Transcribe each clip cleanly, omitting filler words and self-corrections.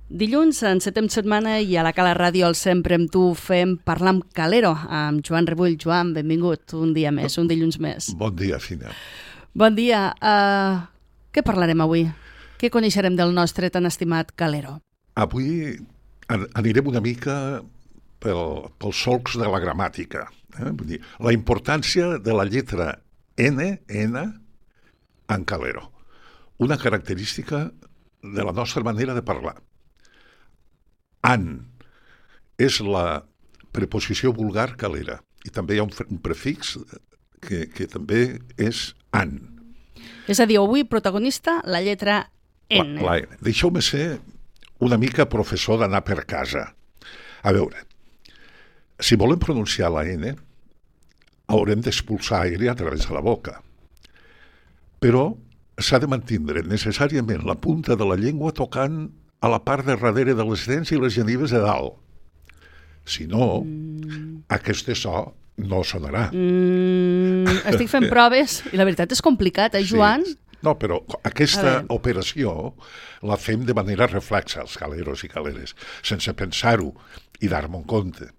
Dilluns encetem setmana i a la Cala Ràdio al Sempre amb tu fem Parlar amb Calero, amb Joan Rebull. Joan, benvingut un dia més, un dilluns més. Bon dia, Fina. Bon dia. Què parlarem avui? Què coneixerem del nostre tan estimat Calero? Avui anirem una mica pels solcs de la gramàtica. Vull dir, la importància de la lletra N en Calero. Una característica de la nostra manera de parlar. An és la preposició vulgar calera i també hi ha un prefix que també és an. És a dir, avui protagonista la lletra N. La N. Deixeu-me ser una mica professor d'anar per casa. A veure, si volem pronunciar la N, haurem d'expulsar aire a través de la boca. Però s'ha de mantindre necessàriament la punta de la llengua tocant a la part de darrere de les dents i les genives de dalt. Si no, aquest so no sonarà. Estic fent proves i la veritat és complicat, Joan? Sí. No, però aquesta operació la fem de manera reflexa, els caleros i caleres, sense pensar-ho i dar-me en compte.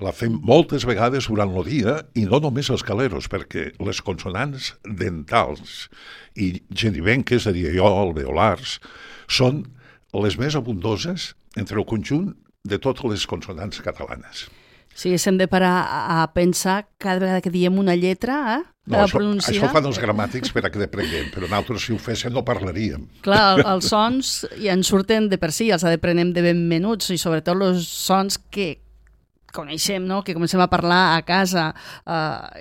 La fem moltes vegades durant el dia i no només els caleros, perquè les consonants dentals i genivenques, diria jo, alveolars, són les més abundoses entre el conjunt de totes les consonants catalanes. Sí, s'hem de parar a pensar cada vegada que diem una lletra, no, això fan els gramàtics per a que deprenguem, però nosaltres si ho féssim no parlaríem. Clar, els sons ja ens surten de per si, els aprenem de ben menuts i sobretot els sons que coneixem, no? Que comencem a parlar a casa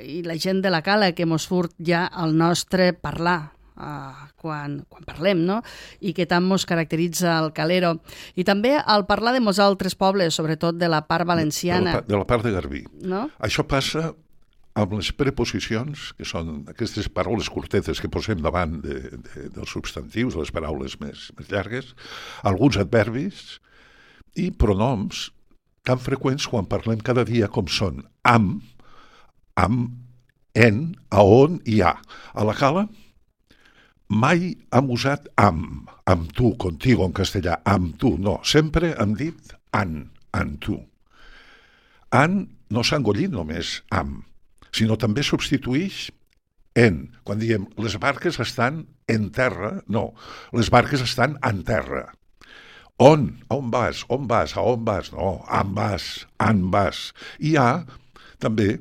i la gent de la cala que mos surt ja el nostre parlar. Quan parlem, no? I que tant mos caracteritza el calero. I també al parlar de molts altres pobles, sobretot de la part valenciana. De la part de Garbí. No? Això passa amb les preposicions, que són aquestes paraules curtetes que posem davant dels substantius, les paraules més llargues, alguns adverbis i pronoms tan freqüents quan parlem cada dia com són amb, en, a on i a. A la cala mai hem usat amb tu, contigo en castellà, amb tu, no. Sempre hem dit en tu. En no s'ha engollit només amb, sinó també substitueix en. Quan diem les barques estan en terra, no, les barques estan en terra. On vas, a on vas, no, en vas. I a, també,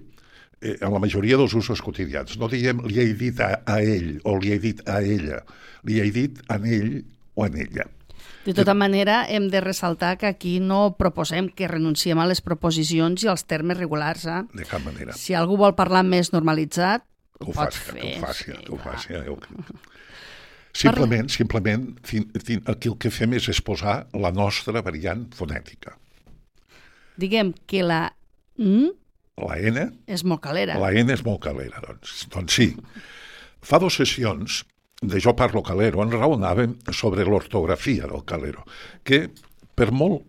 en la majoria dels usos quotidians. No diem li he dit a ell o li he dit a ella. Li he dit en ell o en ella. De tota manera, hem de ressaltar que aquí no proposem que renunciem a les proposicions i als termes regulars. De cap manera. Si algú vol parlar més normalitzat, ho pot fer. Que ho faci. Simplement, aquí el que fem és exposar la nostra variant fonètica. Diguem que la N és molt calera. La N és molt calera, doncs sí. Fa 2 sessions de Jo parlo calero en raonàvem sobre l'ortografia del calero, que per molt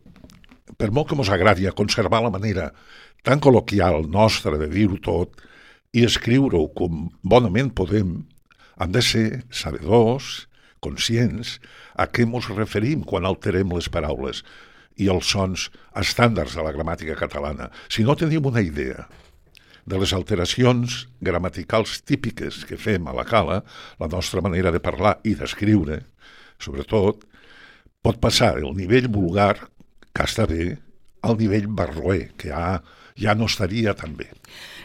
que mos agradi a conservar la manera tan col·loquial nostra de dir-ho tot i escriure-ho com bonament podem, hem de ser sabedors, conscients a què mos referim quan alterem les paraules i els sons estàndards de la gramàtica catalana. Si no tenim una idea de les alteracions gramaticals típiques que fem a la cala, la nostra manera de parlar i d'escriure, sobretot, pot passar del nivell vulgar, que està bé, al nivell barroer, que ja no estaria tan bé.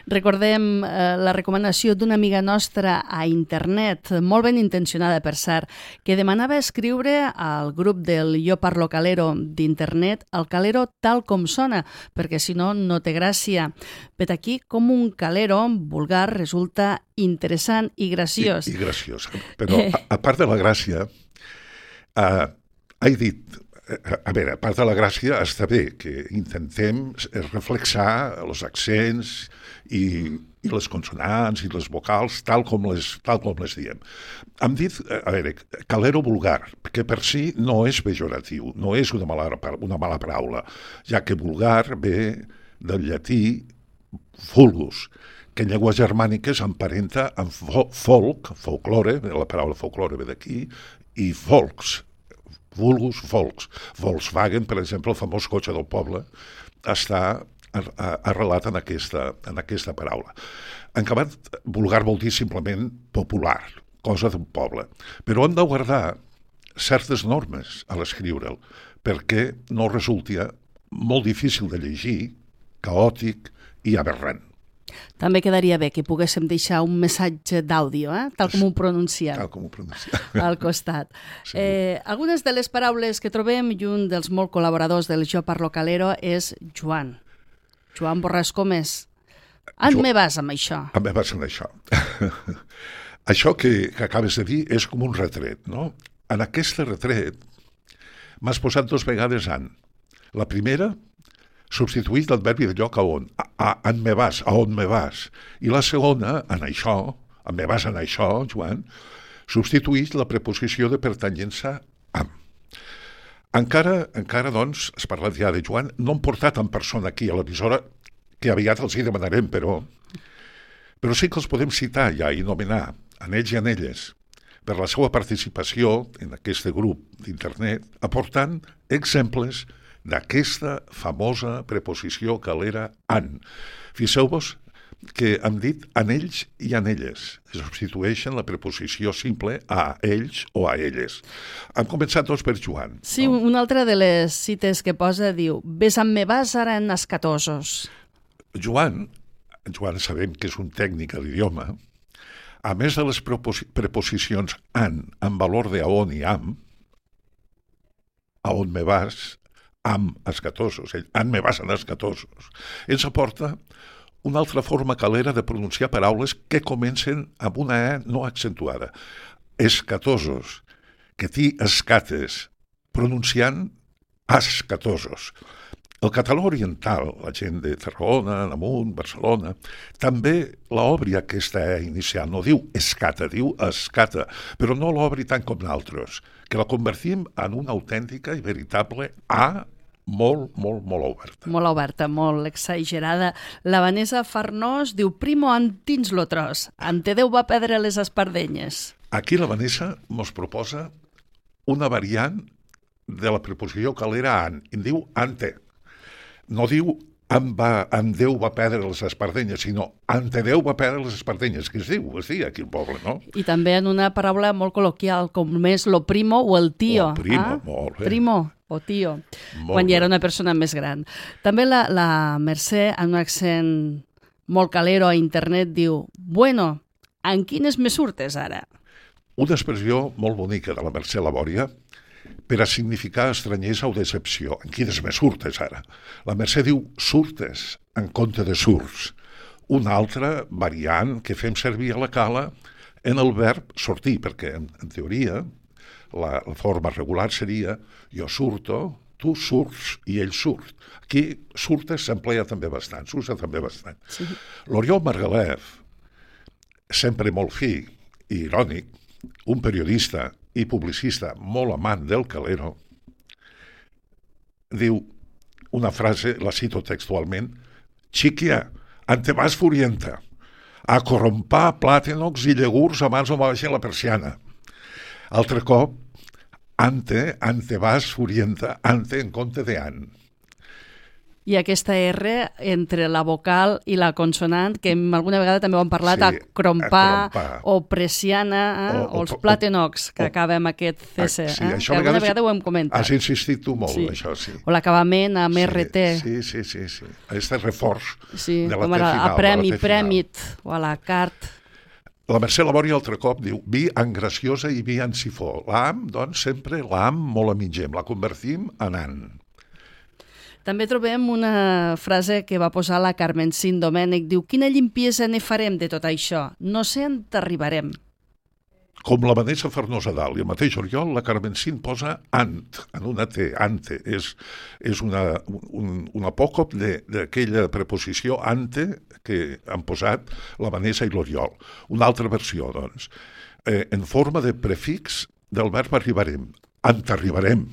Recordem la recomanació d'una amiga nostra a internet, molt ben intencionada per cert, que demanava escriure al grup del Jo parlo calero d'internet el calero tal com sona, perquè si no, no té gràcia. Vet aquí com un calero vulgar resulta interessant i graciós. I graciós, però a part de la gràcia, he dit, a veure, a part de la gràcia està bé que intentem reflexar els accents i les consonants i les vocals tal com les diem. Hem dit, a veure, calero vulgar, que per si no és pejoratiu, no és una mala paraula, ja que vulgar ve del llatí vulgus, que en llengües germàniques emparenta amb folklore, la paraula folklore ve d'aquí, i folks, vulgus, volks. Volkswagen, per exemple, el famós cotxe del poble, està arrelat en aquesta paraula. En acabat, vulgar vol dir simplement popular, cosa d'un poble. Però hem de guardar certes normes a l'escriure'l, perquè no resulti molt difícil de llegir, caòtic i aberrant. També quedaria bé que poguéssim deixar un missatge d'àudio, tal com ho pronunciem. Tal com ho pronunciem. Al costat. Sí. Algunes de les paraules que trobem, i un dels molt col·laboradors del Jo Parlo Calero és Joan. Joan Borràs Gómez. On me vas amb això? On me vas amb això? Això que acabes de dir és com un retret, no? En aquest retret m'has posat 2 vegades an. La primera, substituït l'adverbi de lloc a on. On me vas, a on me vas. I la segona, en això, on me vas en això, Joan, substituït la preposició de pertanyença amb. Encara, doncs, has parlat ja de Joan, no hem portat en persona aquí a l'emissora, que aviat els hi demanarem, però sí que els podem citar ja i nomenar en ells i en elles per la seva participació en aquest grup d'internet, aportant exemples d'aquesta famosa preposició calera an. Fixeu-vos que hem dit en ells i en elles, que substitueixen la preposició simple a ells o a elles. Hem començat tots per Joan. Sí, no? Una altra de les cites que posa diu «Ves amb me vas ara en escatosos». Joan sabem que és un tècnic a l'idioma, a més de les preposicions an, amb valor de a on i am, a on me vas, am escatosos, an me vas en escatosos, ens aporta una altra forma calera de pronunciar paraules que comencen amb una e no accentuada. Escatosos, que t'hi escates, pronunciant escatosos. El català oriental, la gent de Tarragona, Namunt, Barcelona, també l'obri aquesta e inicial. No diu escata, diu escata, però no l'obri tant com nosaltres, que la convertim en una autèntica i veritable a molt oberta. Molt oberta, molt exagerada. La Vanessa Farnós diu «Primo antins lo tros, ante Déu va perdre les espardenyes». Aquí la Vanessa mos proposa una variant de la preposició calera an, i diu ante. No diu en Déu va perdre les espardenyes, sinó ante Déu va perdre les espardenyes, que es diu aquí al poble, no? I també en una paraula molt col·loquial, com és lo primo o el tío. O primo, molt bé. Primo o tío, quan ja era una persona més gran. També la Mercè, en un accent molt calero a internet, diu «Bueno, en quines me surtes ara?» Una expressió molt bonica de la Mercè Labòria per a significar estranyesa o decepció. En quines me surtes ara? La Mercè diu surtes en compte de surts. Una altra variant que fem servir a la cala en el verb sortir, perquè en teoria la forma regular seria jo surto, tu surts i ell surt. Aquí surtes s'emplea també bastant, s'usa també bastant. Sí. L'Oriol Margalef, sempre molt fi i irònic, un periodista i publicista molt amant del calero, diu una frase, la cito textualment, «Xiquia, ante vas furienta, a corrompar plàtanocs i llegurs abans no va baixar la persiana». Altre cop, ante vas furienta, ante en compte de an. I aquesta R entre la vocal i la consonant, que alguna vegada també ho hem parlat, sí, a crompar o presiana, o els plàtanocs, que acaba amb aquest CC. Sí, que alguna vegada ho hem comentat. Has insistit tu molt, sí. Això, sí. O l'acabament amb RT. Sí. Aquest reforç sí, de la com T final. A premi, prèmit, o a la cart. La Mercè Labòria altre cop diu vi en graciosa i vi en sifó. L'am, doncs, sempre l'am molt amigem, la convertim en an. També trobem una frase que va posar la Carmencín Domènech. Diu, quina llimpiesa ne farem de tot això? No sé on t'arribarem. Com la Vanessa Farnós a dalt i el mateix Oriol, la Carmencín posa ant, en una T, ante. És un apòcop d'aquella preposició ante que han posat la Vanessa i l'Oriol. Una altra versió, doncs, en forma de prefix del verb arribarem. Ant arribarem.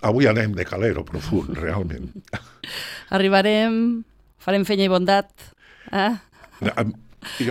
Avui anem de calero profund, realment. Arribarem, farem feina i bondat.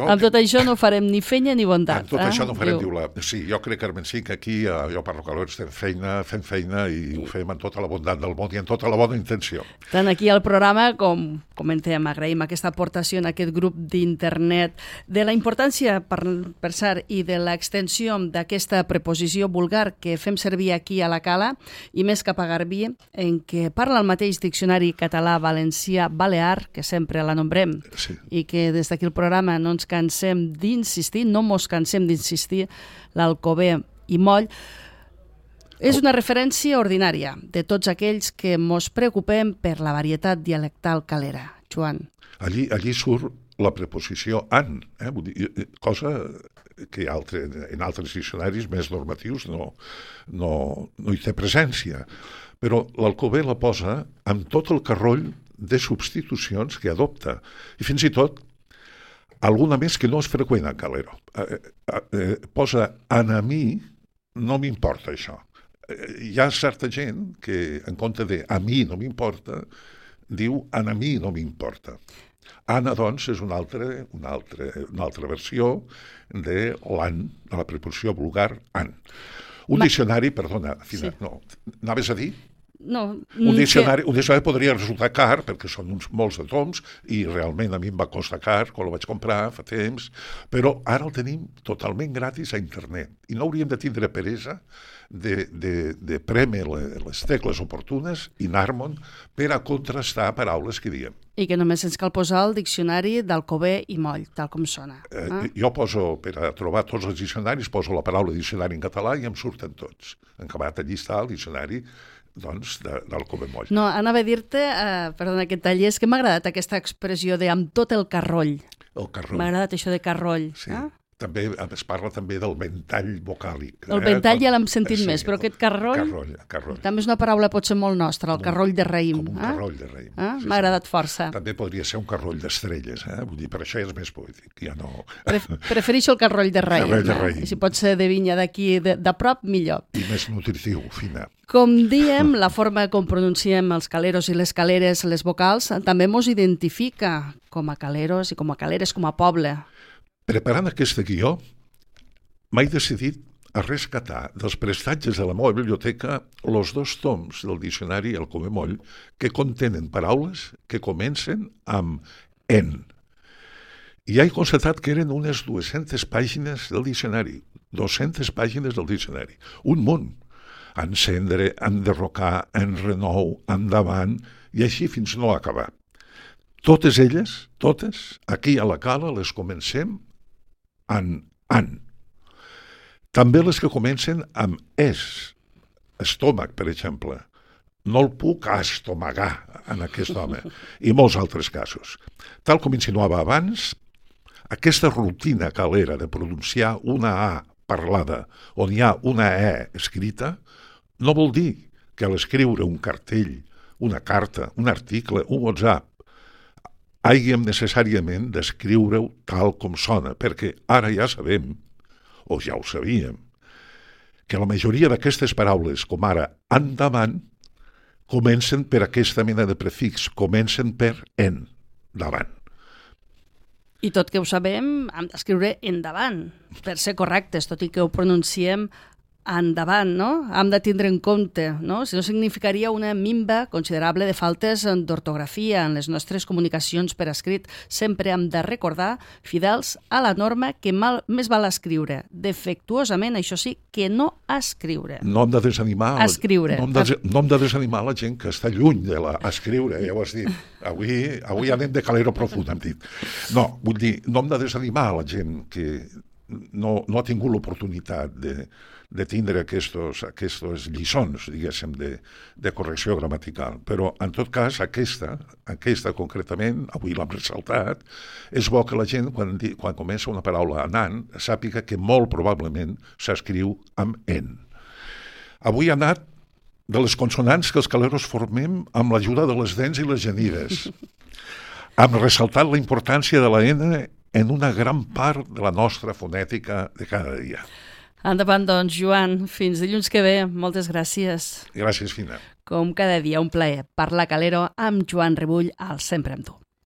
Amb tot això no farem ni fenya ni bondat. Amb tot això no farem, diu la... Sí, jo crec, Carmencín, que aquí jo parlo calor, fem feina i ho fem amb tota la bondat del món i amb tota la bona intenció. Tant aquí al programa, com comentem, agraïm aquesta aportació en aquest grup d'internet, de la importància, per cert, i de l'extensió d'aquesta preposició vulgar que fem servir aquí a la Cala, i més cap a Garbí, en què parla el mateix diccionari català-valencià-balear, que sempre la nombrem, sí, i que des d'aquí el programa no ens cansem d'insistir, no mos cansem d'insistir, l'Alcover i Moll, és una referència ordinària de tots aquells que mos preocupem per la varietat dialectal calera. Joan. Allí surt la preposició an, cosa que en altres diccionaris més normatius no hi té presència. Però l'Alcover la posa amb tot el carroll de substitucions que adopta. I fins i tot alguna més que no és freqüent a Calero. Posa an a mi, no m'importa això. Hi ha certa gent que, en compte de a mi no m'importa, diu an a mi no m'importa. Ana, doncs, és una altra versió de l'an, de la preposició vulgar an. Un diccionari, perdona, Fina, sí. No, anaves a dir? No, un diccionari podria resultar car, perquè són molts de toms, i realment a mi em va costar car quan el vaig comprar fa temps, però ara el tenim totalment gratis a internet, i no hauríem de tindre peresa de prémer les tecles oportunes i anar-me'n per a contrastar paraules que diem. I que només ens cal posar el diccionari d'Alcover i Moll, tal com sona. Jo poso, per a trobar tots els diccionaris, poso la paraula diccionari en català i em surten tots. En acabat, allí està el diccionari doncs, d'Alcover Moll. No, anava a dir-te, perdona que et talli, és que m'ha agradat aquesta expressió de amb tot el carroll. El carroll. M'ha agradat això de carroll. Sí. També es parla també del ventall vocàlic. El ventall ja l'hem sentit més, però aquest carroll... Carroll. També és una paraula potser molt nostra, el carroll de raïm. Com un carroll de raïm. Sí, m'ha agradat força. També podria ser un carroll d'estrelles, vull dir, per això ja és més poètic. Ja no... Prefereixo el carroll de raïm. Carroll de raïm. I si pot ser de vinya d'aquí, de prop, millor. I més nutritiu, Fina. Com diem, la forma com pronunciem els caleros i les caleres, les vocals, també mos identifica com a caleros i com a caleres, com a poble. Preparant aquest guió, m'he decidit a rescatar dels prestatges de la meva biblioteca els 2 toms del diccionari Alcover Moll que contenen paraules que comencen amb en. I he constatat que eren unes 200 pàgines del diccionari, 200 pàgines del diccionari, un munt. Encendre, enderrocar, enrenou, endavant, i així fins no acabar. Totes elles, aquí a la Cala, les comencem amb an. També les que comencen amb estómac, per exemple. No el puc estomagar en aquest home. I molts altres casos. Tal com insinuava abans, aquesta rutina calera de pronunciar una A parlada on hi ha una E escrita no vol dir que a l'escriure un cartell, una carta, un article, un WhatsApp, hàgim necessàriament d'escriure-ho tal com sona, perquè ara ja sabem, o ja ho sabíem, que la majoria d'aquestes paraules, com ara endavant, comencen per aquesta mena de prefix, comencen per en, davant. I tot que ho sabem, hem d'escriure endavant, per ser correctes, tot i que ho pronunciem endavant, no? Hem de tindre en compte, no? Si no significaria una minva considerable de faltes d'ortografia en les nostres comunicacions per escrit. Sempre hem de recordar, fidels a la norma, que més val escriure defectuosament, això sí, que no escriure. No hem de desanimar... Escriure. No hem de desanimar la gent que està lluny de l'escriure, ja ho has dit. Avui anem de calero profund, hem dit. No, vull dir, no hem de desanimar la gent que no ha tingut l'oportunitat de tindre aquestes lliçons, diguéssim, de correcció gramatical. Però, en tot cas, aquesta concretament, avui l'hem ressaltat, és bo que la gent, quan comença una paraula anant, sàpiga que molt probablement s'escriu amb en. Avui ha anat de les consonants que els caleros formem amb l'ajuda de les dents i les genives. Hem ressaltat la importància de la N en una gran part de la nostra fonètica de cada dia. Endavant, doncs, Joan. Fins dilluns que ve. Moltes gràcies. Gràcies, Fina. Com cada dia, un plaer parlar calero amb Joan Rebull al Sempre amb tu.